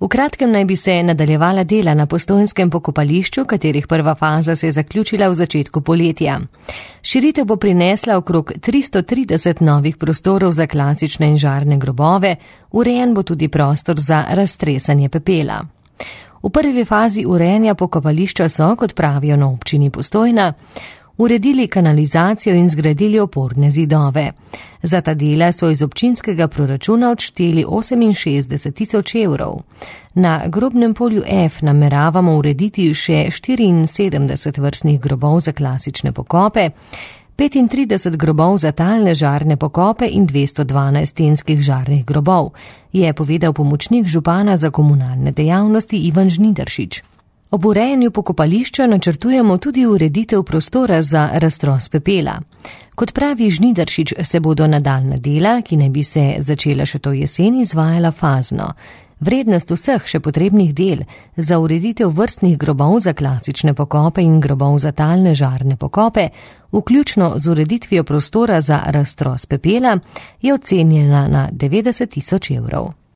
V kratkem naj bi se nadaljevala dela na Postojnskem pokopališču, katerih prva faza se je zaključila v začetku poletja. Širitev bo prinesla okrog 330 novih prostorov za klasične in žarne grobove, urejen bo tudi prostor za raztresanje pepela. V prvi fazi urejanja pokopališča so, kot pravijo na občini Postojna, uredili kanalizacijo in zgradili oporne zidove. Za ta dela so iz občinskega proračuna odšteli 68 000 evrov. Na grobnem polju F nameravamo urediti še 74 vrstnih grobov za klasične pokope, 35 grobov za talne žarne pokope in 212 stenskih žarnih grobov, je povedal pomočnik župana za komunalne dejavnosti Ivan Žnidaršič. Ob urejanju pokopališča načrtujemo tudi ureditev prostora za raztros pepela. Kot pravi Žnidaršič, se bodo nadaljnja dela, ki naj bi se začela še to jesen, izvajala fazno. Vrednost vseh še potrebnih del za ureditev vrstnih grobov za klasične pokope in grobov za talne žarne pokope, vključno z ureditvijo prostora za raztros pepela, je ocenjena na 90 000 evrov.